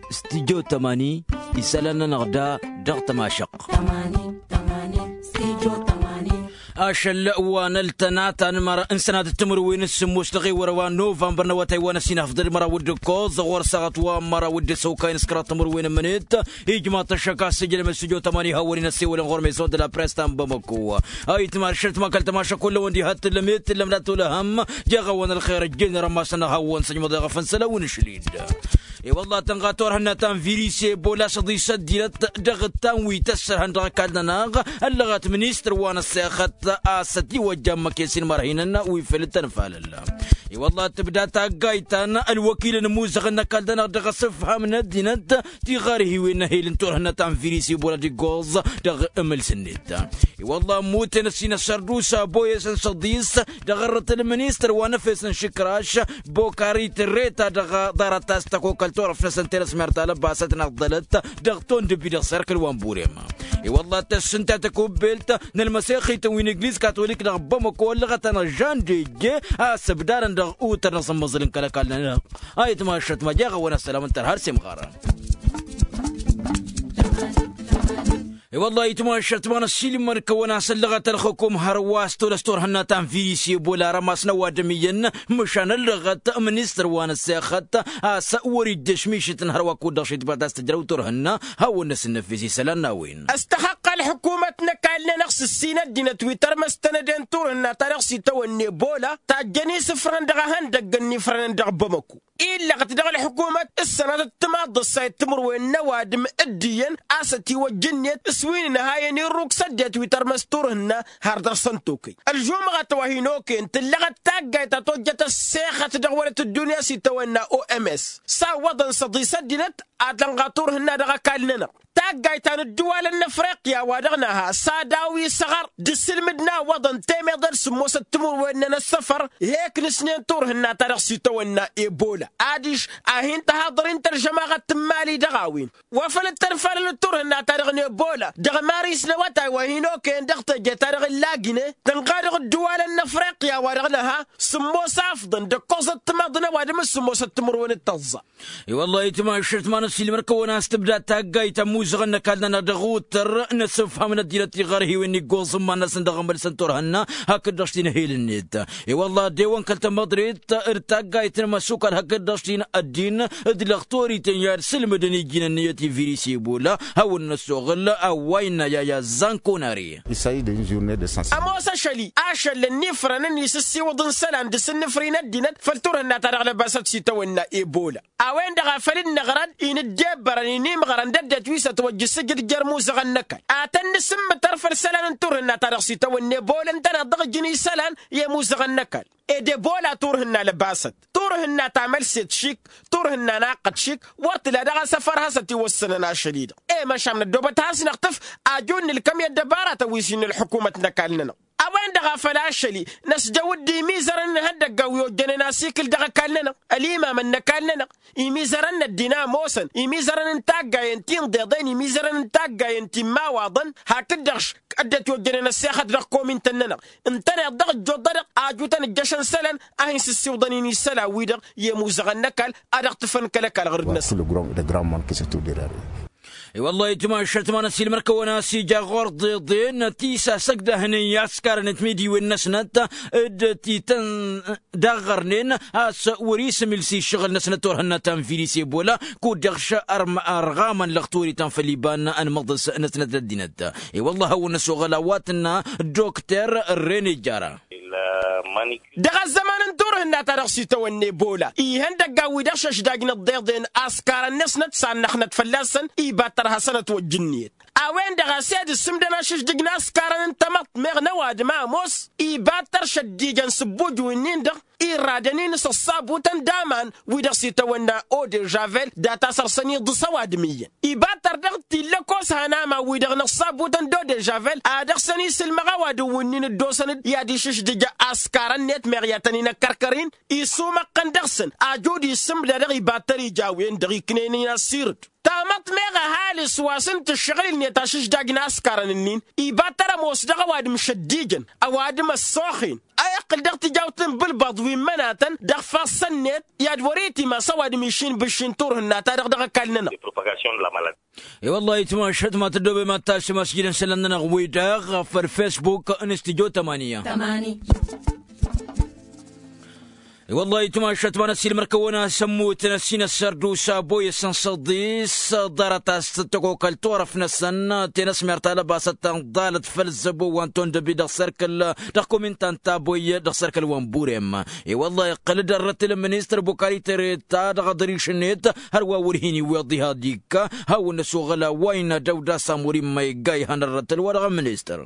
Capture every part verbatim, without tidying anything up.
Studio tămani. Isălan-nănăɣ da dăɣ-tămašăqq. Ašăl wa n-ăltănat anmăr n-sănatăt timǝrwen s-sǝmmos dăɣ-ewăr wa n-novămbăr n-awătay wa n-ăsinăfḍăl măraw d-ǝkkoẓ ɣur-săɣăt wa n-măraw d-săwkay n-s kăraḍ timǝrwen n-mǝnit. Ijmaḍ-t ăššăk a-s ǝjlăm studio tămani hawăn-in ăssewălăn ɣur-meson d-la press ta n-bamăko. Ayǝtma ăššăl tǝmakăl tămašăk kullăwăn diha t-tǝllăm i-t-tǝllăm d-atolăhăm jeɣ-awăn ălxer ăjjeen rămasăn hawăn-săjmăḍ i-ɣăf n-sălawăn ašlid. I-wălla tănɣa turhǝnna ta n-virus ebola s-ăḍis ăddinăt dăɣ-ǝttan wi tăssărhăn dăɣ-ăkall-nănăɣ ăllăɣăt ministăr wa n-ăssexăt a-s ătiwăjja ǝmmǝk i-sin mărhinăn wi făl t-ănfalăl. I-wălla tǝbda taggayt ta n-ălwăkil n-imuzăɣăn n-ăkall-nănăɣ dăɣ-asǝfham n-ăddinăt tiɣărhiwen n-ehel n-turhǝnna ta n-virus ebola d-iggoẓ dăɣ-emǝls-net. I-wălla ămmuten ăssin ăssărdusa boyes n-săḍis dăɣ-ărrăt ălministăr wa n-efes n-išǝkraš bokari tǝrreta dăɣ-ḍarăt ta s-tăkokăl turăft-năsăn tenăsmert ta lăbasăt n-aḍḍălăt dăɣ-tondǝbi dăɣ-serkǝl wa n-burem. I-wălla tăssǝnta tăkubbelt n-ălmăsexităn wi n-egliz katolik dăɣ-bamăko ăllăɣăt-anăɣ žan deje a-s ǝbdarăn dăɣ-utăr n-asǝmmăẓǝl n-kăl-ăkall-nănăɣ. Ayǝtma ăššătma jeɣ-awăn ăssălam n-tărha ar-semɣarăn. I-wălla ayǝtma ăššătma n-ăssiilmăd-kăwăn a-s ăllăɣăt ălxukum hărwa s-tolăs turhǝnna ta n-virus ebola rămas n-ăwadǝm iyyăn măšan ăllăɣăt ministăr wa n-ăssexăt a-s wăr-ijjăš mišǝtăn hărwa kud-dăɣ šitbat a-s tǝjrăw turhǝnna. Hawăn-năsǝnnăfes isălan n-a-wen. Ăstăxăqqa ălḥukumăt n-ăkall-nănăɣ s-ǝssin ăddinăt wi tărmăstăn ăden turhǝnna ta dăɣ-s itawănna ebola tajjăn isǝfrăn dăɣ-ehăndăgg ănnifrănăn dăɣ-bamăko. Illăɣăt dăɣ-ălḥukumăt s-sănatăt timaḍt ăssayăt timǝrwen n-ăwadǝm dd-iyyăn a-s ătiwăjja ǝnniyăt s-wi n-inhayăn irruk s-ăddinăt wi tărmăs turhǝnna har dăr-săn tokăy. Ălžumɣăt wa hin-okăyăn tǝllăɣăt taggayt ta tojjăt ăssexăt dăɣ-wălăt ăddunya s-itawănna oms s-a ǝwwăḍăn s-ăḍis ăddinăt ad-tănɣa turhǝnna dăɣ-ăkall-nănăɣ. Taggayt ta n-ǝddǝwalăn n-afriqya wa dăɣ-nǝha s-ad-awi isăɣăr d-isǝlmǝd n-a ǝwwăḍăn temeḍe d-sǝmmosăt timǝrwen n-ăssăfăr. He-ǝknǝsnen turhǝnna ta dăɣ-s itawănna ebola adiš a hin-tăhaḍăr-in tălžămaɣăt n-imali dăɣ-a-wen wa făl dd-tănfalăl turhǝnna ta dăɣ-nebola dăɣ-maris n-awătay wa hin-okăyăn dăɣ-teje ta dăɣ-ǝllagine tănɣa dăɣ-ǝddǝwalăn n-afriqya wa dăɣ-nǝha sǝmmos afḍăn d-ǝkkoẓăt timaḍ n-ăwadǝm s-sǝmmosăt timǝrwen d-tăẓẓa. I-wăllah itmašăt ma n-ăssiilmăr-kăwăn a-s tǝbda taggayt ămmuẓăɣăn n-ăkall-nănăɣ dăɣ-uttăr n-asǝfham n-ăddinăt tiɣărhiwen iggoẓ n-iman-năsăn dăɣ-emălsăn turhǝnna hakd-dăɣ-s tinhel-net. I-wăllah ăddewăn kăl-tamăḍrit d-taggayt n-imăssukal hakd-dăɣ-s tin-ăddin d-lăxtorităn i-ad-sǝlmǝdăn iji n-ǝnniyăt i-virus ebola hawăn-năsoɣǝl a-wa innă yaya zankonare. Ămoos ašăl-i ašăl ănnifrăn ănn-isǝssiwǝḍ n-isălan d-asǝnnǝfri n-ăddinăt făll-turhǝnna ta dăɣ-lăbasăt s-itawănna ebola. A-wen-dăɣ a făl dd-năɣrăn-i n-ǝddebbărăn-i n-imɣărăn d-ăddinăt wi s-ătwăjj ǝssǝjǝd jer-imuzăɣăn n-ăkall ad-tăn-nǝsǝmmǝtăr făll-isălan n-turhǝnna ta dăɣ-s itawănna ebola ǝntăneḍ dăɣ-ǝjǝn isălan i-imuzăɣăn n-ăkall. Ed ebola turhǝnna lăbasăt turhǝnna tamălset šik turhǝnna naqqăt šik. Wăr tǝla dăɣ-asăfăr hasăt-iwăssănăn ašăl-i-dăɣ. E-măšan năddoobăt has-năɣtǝf ajun n-ǝlkăm i-ăddăbaratăn wi s-innă ălḥukumăt n-ăkall-nănăɣ. A-wen-dăɣ a făl ašăl-i năsjăw-dd imizărăn n-ihăndăggan wi ojjănen asikǝl dăɣ-ăkall-nănăɣ ălimamăn n-ăkall-nănăɣ imizărăn n-ăddin a ămoosăn imizărăn n-taggayen ti n-iḍeḍen imizărăn n-taggayen ti n-imawaḍăn hakd-dăɣ ăddinăt ojjănen ăssexăt dăɣ-komintăn-nănăɣ. Ǝntăneḍ dăɣ-ǝjjuḍ-dăɣ ajutăn ǝjjăšăn isălan a hin-sǝssiwǝḍăn-in isălan-wi-dăɣ i-imuzăɣăn n-ăkall ad-dăɣ-tǝfăn kăl-ăkall ɣur-dăɣ-năsăn. I-wăllah itmašăt ma n-ăssiilmăr-kăwăn a-s ija ɣur-ḍeḍen tisasăgdăhnen i-askarăn d-timidiwen-năsnăt d-tităndaɣărnen a-s wăr-isǝmǝlsi ǝššăɣǝl-năsnăt turhǝnna ta n-virus ebola. Kud-dăɣ šărɣamăn lăxturităn făll-iba n-anmăḍăs-năsnăt d-ăddinăt. I-wăllah a hawăn-năsoɣăl a-wa tǝnna dokter renejara. Dăɣ-ăzzăman n-turhǝnna ta dăɣ-s itawănna ebola ihăndăggan-wi-dăɣ šăšdajnăt ḍeḍen askarăn-năsnăt sannăxnăt fălla-săn iba tărha sănăt wăjj ǝnniyăt. A-wen-dăɣ a-s ed ǝssǝmdăn ašǝždǝj n-askarăn n-tamăḍt meɣ n-ăwadǝm a ămoos iba tăr šăddijăn s-ǝbbuj-wi-nin-dăɣ irradăn-in s-ăṣṣabutăn d-aman wi-dăɣ s-itawănna odežavel data săr-săn iḍǝs ăwadǝm iyyăn. Iba tăr dăɣ-t illăkos han aman-wi-dăɣ n-ăṣṣabutăn d-odežavel ad-dăɣ-săn isǝlmăɣ ăwadǝm-win-nin dd-osăn-dd i-ad-išǝždǝj askarăn-net meɣ i-ad-tăn-in-ăkkărkăr-in isumăqqăn dăɣ-săn. Ăjud issǝmda dăɣ-iba tăr ija a-wen-dăɣ iknăyăn-in asirǝd. Tamăḍt meɣ ăhalǝs wa s-ǝnta ǝššăɣǝl-net ašǝždaj n-askarăn-ǝnnin iba tărămoos dăɣ-ăwadǝm šăddijăn ăwadǝm ăssoxen a iqqǝl dăɣ-tijawt n-bǝlbăḍ wi n-imănatăn dăɣ-ifassăn-net i-ad-wăr-itimas ăwadǝm išin bǝššin turhǝnna-ta-dăɣ dăɣ-ăkall-nănăɣ. I-wăllah itmašăt ma tăddobem ad-tasǝm asjǝd n-isălan-nănăɣ wi-dăɣ făll-fesbuk n-studyo tămani. I-wăllah itmašăt ma n-ăssiilmăr-kăwăn-as ămmutăn ăssin ăssărdusa boyăs n-săḍis ḍarăt-as tăkokăl turăf-năsăn tenăsmert alăbasăt ta n-ḍalăt făll-zăbo wa n-tondăbi dăɣ-sărkăl dăɣ-komintan ta boy dăɣ-sărkăl wa n-burem. I-wăllah iqqăl-dd ărrăt-il ministăr bukali tere ta dăɣ-aḍriš-net hărwa wăr hin-iwweḍ iha d-ikka hawăn-năsoɣăl a-wa innă dăw-dd-asam wăr-immăyga ihăn ărrăt-ăl wa dăɣ-ministăr.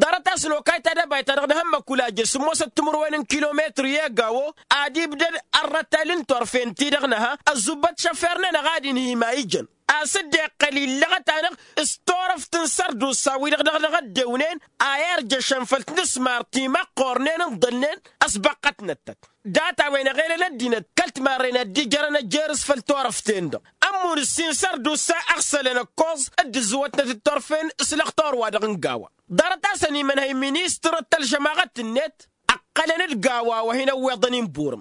Ḍarăt-as lokay ta dăbayt-ta-dăɣ d-ehăn măkulajăl sǝmmosăt timǝrwen n-kilometru i-egawo ad-ibdăd ărrătăl n-turfen-ti-dăɣ năha ăzzubbăt šăfer-nănăɣ ad-inhǝy ma ijăn a-s dd-iqqăl illăɣăt-anăɣ s-turăft n-sărdusa-wi-dăɣ dăɣ-dăɣ ăddewnen a irjăšăn făll-tinǝsmar timăqqornen ǝnḍălnen ăsbăqqătnăt-tăt. Dat-a-wen ăɣelăl ăddinăt kăl-timarren ad-dd-ijărăn ăjjirǝs făll-turăft-en-dăɣ ămmun ǝssin sărdusa ăɣsălăn ăkkoẓ dd-ǝzzǝwătnăt d-turfen s-lăxtur-wa-dăɣ n-gawa. Ḍarăt-asăn imănhăy ministăr d-tălžămaɣăt-net ǝqqălăn d-gawa wa hin-ăwweḍăn inburǝm.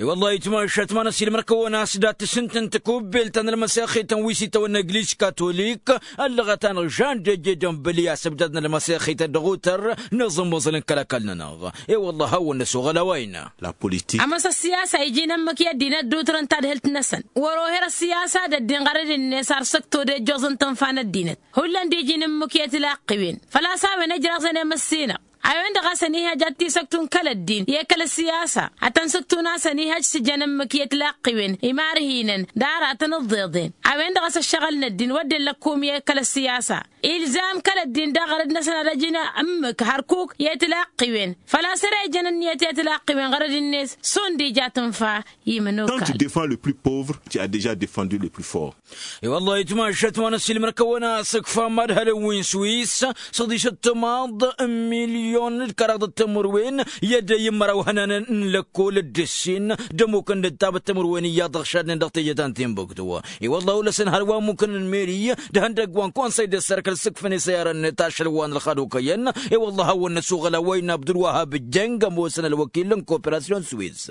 I-wălla itmašat ma n-ăsiilmăr-kăwăn a-s dat-tǝsǝnt n-tikubbelt ta n-ălmăsexit n-wi s-itawănna egliz katolik ăllăɣăt-anăɣ žan d-eje d-ănbǝl i-asǝbdad n-ălmăsexit ăddăɣutăr n-aẓǝmmăẓǝl n-kăl-ăkall-nănăɣ. I-wălla hawăn-năsoɣăl a-wa innă. Ămoos ăssiyasa iji n-ǝmmǝk i-ăddinăt d-utrăn tadhǝlt-năsăn wăr-oher ăssiyasa d-ăddin ɣărăd-net ar săkto d-ejjoẓ n-tǝnfa n-ăddinăt hullan d-iji n-ǝmmǝk i-tilaqqiwen făl-a-s a-wen ăjraẓăn i-măssinăɣ a-wen-dăɣ a-s ănihăj ad-t-isăktun kăl-ăddin i-kăl-ăssiyasa ad-tăn-sǝktun a-s ănihăj s-ǝjăn ǝmmǝk i-tilaqqiwen imarhinăn d-aratăn ǝḍḍeḍen a-wen-dăɣ a-s ăššăɣǝl n-ăddin wădden lăkkum i-kăl-ăssiyasa ilzam kăl-ăddin daɣ ɣărăd-năsăn ad-ăjǝn ǝmmǝk hărkuk i-tilaqqiwen făl-a-s ere ijăn ǝnniyăt i-tilaqqiwen ɣărăd-net šund ija tǝnfa. Imănokal. Quand tu défends le plus pauvre, tu as déjà défendu le plus fort. I-wăllah itmašat ma n-ăssiilmăr-kăwăn a-s ǝkfam ad-hălăn wi n-swis săḍisăt timaḍ n-milyon d-kăraḍăt timǝrwen i-ăddey n-măraw ihănanăn n-lăkkol d-ǝssin d-ămmukăn d-tabăt timǝrwen iyyăḍ ăɣšadnen dăɣ-teje ta n-tinbǝktu. I-wăllah olăsăn hărwa ămmukăn n-meri d-ihăndăgg wa n-konsăy d-ăssărkăl s-ǝkfăn isăyarăn-net ašăl wa n-ălxad okăyăn. I-wăllah hawăn-năsuɣăl a-wa innă abdulwăhab jeng ămoosăn ălwăkil n-koperasyon swis.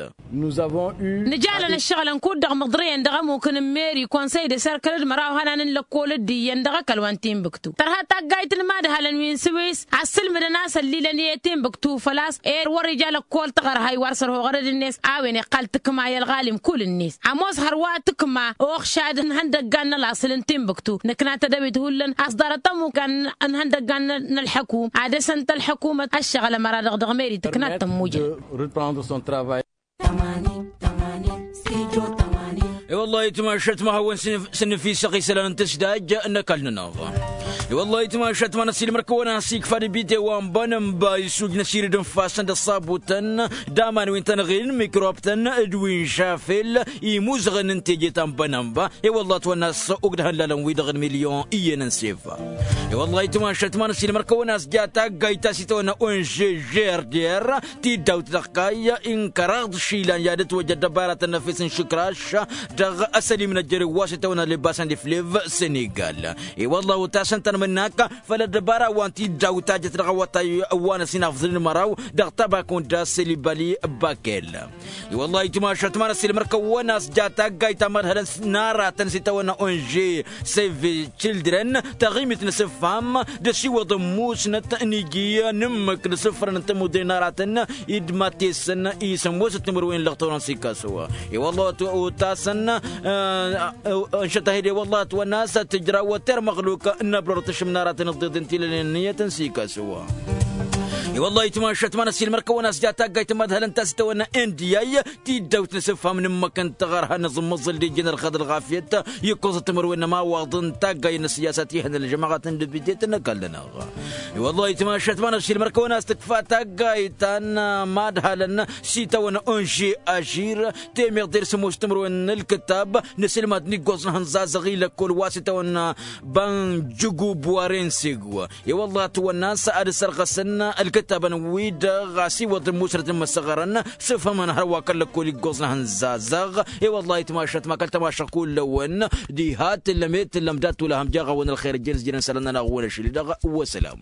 Nǝjalăn ǝššăɣǝlăn kud-dăɣ măḍrăyăn dăɣ-ămmuk n-meri konsăy d-asărkăl d-măraw ihănan n-lăkkol d-iyyăn dăɣ-ăkall wa n-tinbǝktu tărha taggayt n-imadhalăn wi n-sǝwis. Ad-sǝlmǝdăn a-s ăllilăn i-tinbǝktu făl-a-s ed wăr-ija lăkkol tăɣărhay wa s-ărhoɣărăd-net a-wen iqqal tǝkma i-ălɣalim kull-net ămoos hărwa tǝkma oxšad n-ihăndăggan n-ălaṣǝl n-tinbǝktu nǝkna tadăwit hullan a-s ḍarăt ămmuk n-ihăndăggan n-ălḥăkum ad-dăr-săn tălḥăkumăt ăššăɣǝl ămăra-dăɣ dăɣ-meri tǝkna tămmujăn. I-wăllah itmašat ma hawăn-sǝnnǝfisăɣ isălan n-tǝsdaj n-ăkall-nănăɣ. I-wăllah itmašat ma n-ăssiilmăr-kăwăn a-s ikfa d-ibite wa n-bănănba isujnăs irǝd n-ifassăn d-ăṣṣabutăn d-aman wi n-tănɣil n-mikrobtăn d-wi n-šafel imuzăɣăn n-teje ta n-bănănba. I-wăllah ătwănna a-s ugdăhăn lalăn-wi-dăɣ n-milyon iyyăn n-sefa. I-wăllah itmašat ma n-ăssiilmăr-kăwăn a-s ja taggayt ta s-itawănna onže žerder tiddawt dăɣ-kayy n-kăraḍ išilan i-ad-ătwăjja ăddăbaratăn n-efes n-išǝkraš dăɣ-asălim n-ăjjărew wa s-itawănna lebasăn d-iflev senegal. I-wăllah otasăn tanmǝnnak făll-ăddăbara wa n-tiddawt ta jăt dăɣ-awătay wa n-ăsinafḍǝl n-măraw dăɣ-tabakunda selibali bakel. I-wăllah itmašat ma n-ăssiilmăr-kăwăn a-s ja taggayt ta mădhălăn n-aratăn s-itawănna onže seve children taɣimit n-asǝffam d-asiwăḍ n-musnăt n-iji n-ǝmmǝk d-asǝfrăn n-tămudre n-aratăn d-matesăn isămmosăt timǝrwen lăɣ tawănăn s-ikasăw. I-wăllah otasăn ănšăt a hi-dd i-wăllah ătwănna a-s tǝjraw termăɣluk n-abrăr tǝšǝm n-aratăn ǝḍḍeḍen tilănen n-iyyătăn s-ikasăw. I-wăllah itmašat ma n-ăssiilmăr-kăwăn a-s ja taggayt mădhălăn ta s-itawănna indiyay tiddawt n-asǝffam n-ǝmmǝk n-taɣărha n-aẓǝmmăẓǝl d-ijjăn ălxad ălɣafyăt ikkoẓăt timǝrwen n-ămawaḍ n-taggay n-ăssiyasat ihăn ălžămaɣăt n-dibitiyăt n-ăkall-nănăɣ. I-wăllah itmašat ma n-ăssiilmăr-kăwăn a-s tǝkfa taggayt ta n-madhalăn s-itawănna onže ažir temeḍ d-ers ămoos timǝrwen n-ǝlkǝtab n-asǝlmad n-iggoẓ n-ihănẓaẓăɣ i-lăkkol wa s-itawănna banjǝgub wa rensegw. I-wăllah ătwănna a-s ad-ăsărɣăsăn ălkǝt ăttabăn-wi-dăɣ a-s iwwăḍ n-musrăt n-imăssăɣărăn s-efhămăn hărwa kăl-lăkkol iggoẓ n-ehăn zazăɣ. I-wăllah itmašat ma kăl-tamašăɣ kull-ăwăn diha t-tǝllăm i-tǝllăm dat-wăla ham jaɣ-awăn ălxer ǝjjăn s-jănen isălan-nănăɣ wăla ašăl-i-dăɣ. Wăsălam.